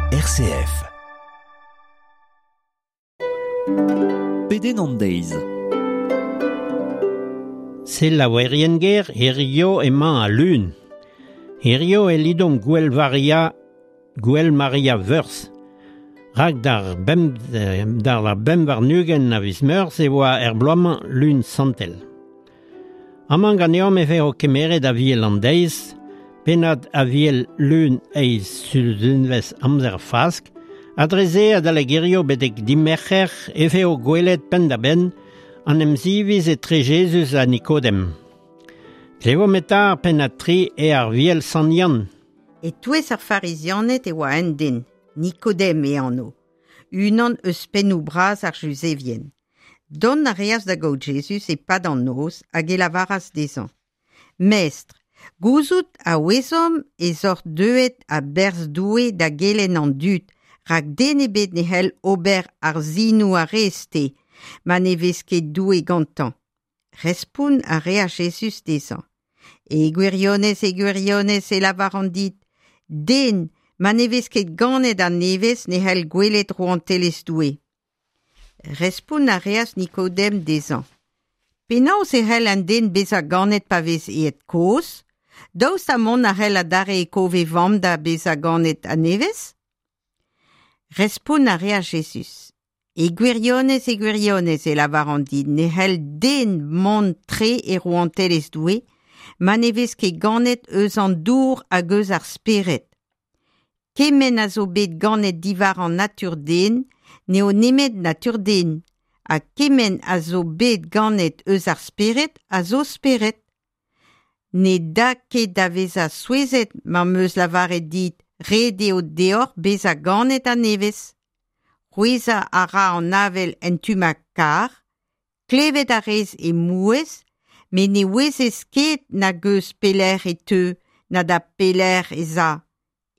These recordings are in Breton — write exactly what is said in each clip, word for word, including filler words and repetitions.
R C F. Pedenn an deiz. Selaouerien ger, hirio emañ al lun. Hirio e lidomp Gouel Varia, Gouel Maria Veurzh. Rak d'ar bemp, d'ar ar bemp warn-ugent a viz Meurzh e oa er bloaz-mañ lun santel. Amañ ganeomp e vezo kemeret Aviel an deiz, pennad Aviel lun eizh sizhunvezh amzer Fask, ha dre-se adalek hirio betek dimerc'her e vezo gwelet penn-da-benn an emziviz etre Jezuz ha Nikodem. Klevomp eta ar pennad tri e Aviel Sant Yann. E-touez ar Farizianed e oa un den, Nikodem e anv, unan eus pennoù bras ar Juzevien. Dont a reas da gaout Jezuz e-pad an noz hag e lavaras dezhañ. Mestr, gouzout a ouezomp ez oc'h deuet a-berzh Doue da gelenn an dud, rak den ebet ne c'hell ober ar sinoù a rez-te, ma ne vez ket Doue gantañ. Respont a reas Jezuz dezhañ. E gwirionez, e gwirionez e lavaran dit, den ma ne vez ket ganet a-nevez ne c'hell gwelet rouantelezh Doue. Respont a reas Nikodem dezhañ. Penaos e c'hell un den bezañ ganet pa vez aet kozh? Daoust ha mont a c'hell adarre e kov e vamm da bezañ ganet a-nevez? Respont a reas Jezuz. E gwirionez, e gwirionez e lavaran dit, ne c'hell den mont tre e rouantelezh Doue, ma ne vez ket ganet eus an dour hag eus ar spered. Kement a zo bet ganet diwar an natur den, n'eo nemet natur den, ha kement a zo bet ganet eus ar spered a zo spered. Ne da ket da vezañ souezhet ma 'm eus lavaret dit, ret eo deoc'h bezañ ganet a-nevez. C'hwezhañ a ra an avel en tu ma kar, klevet a rez he mouezh, met ne ouezez ket nag eus pelec'h e teu, na da pelec'h ez a.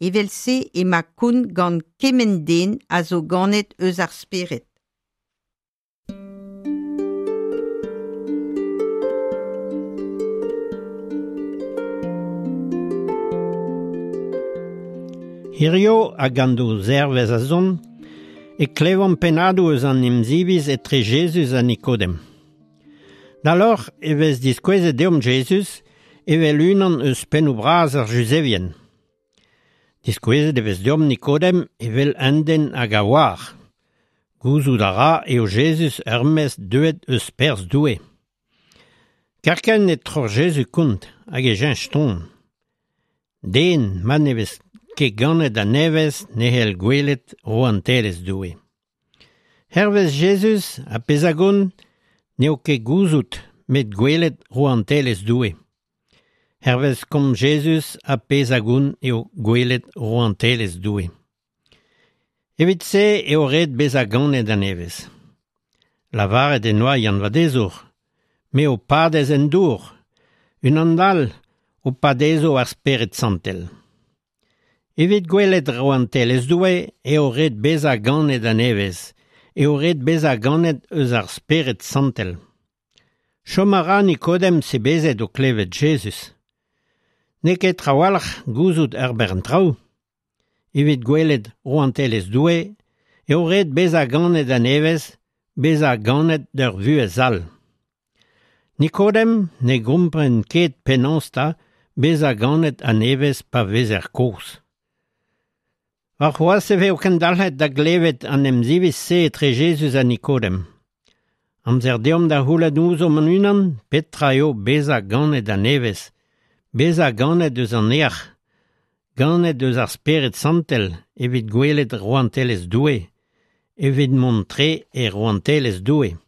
Evel-se emañ kont gant kement den a zo ganet eus ar spered. Hirio hag an daou zervezh a zont, e klevomp pennadoù eus an emziviz etre Jezuz ha Nikodem. D'alor e vez diskouezet deomp Jezuz evel unan eus pennoù bras ar Juzevien. Diskouezet e vez deomp Nikodem evel un den hag a oar. Gouzout a ra eo Jezuz ur mestr deuet eus perzh Doue. Kerkent e troc'h Jezuz kont hag e cheñch ton. Den ma ne vez ket ganet a-nevez ne c'hell gwelet rouantelezh Doue. Hervez Jezuz ar pezh a gont n'eo ket gouzout met gwelet rouantelezh Doue. Hervez komz Jezuz ar pezh a gont eo gwelet rouantelezh Doue. Evit se eo ret bezañ ganet a-nevez. Lavaret en doa Yann Vadezour, me ho padez en dour, unan all ho padezo ar Spered Santel. Evit gwelet rouantelezh Doue eo ret bezañ ganet a-nevez, eo ret bezañ ganet eus ar Spered Santel. Chom a ra Nikodem sebezet o klevet Jezuz. N'eo ket trawalc'h gouzout ur bern traoù. Evit gwelet rouantelezh Doue eo ret bezañ ganet a-nevez, bezañ ganet d'ur vuhez all. Nikodem ne gompren ket penaos 'ta bezañ ganet a-nevez pa vezer kozh. Warc'hoazh e vezo kendalc'het da glevet an emziviz-se etre Jezuz ha Nikodem. Amzer deomp da c'houlenn ouzhomp hon-unan petra eo bezañ ganet a-nevez, bezañ ganet eus an neac'h, ganet eus ar Spered Santel evit gwelet rouantelezh Doue, evit mont tre e rouantelezh Doue.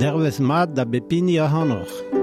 Dervez mat da bep hini ac'hanoc'h.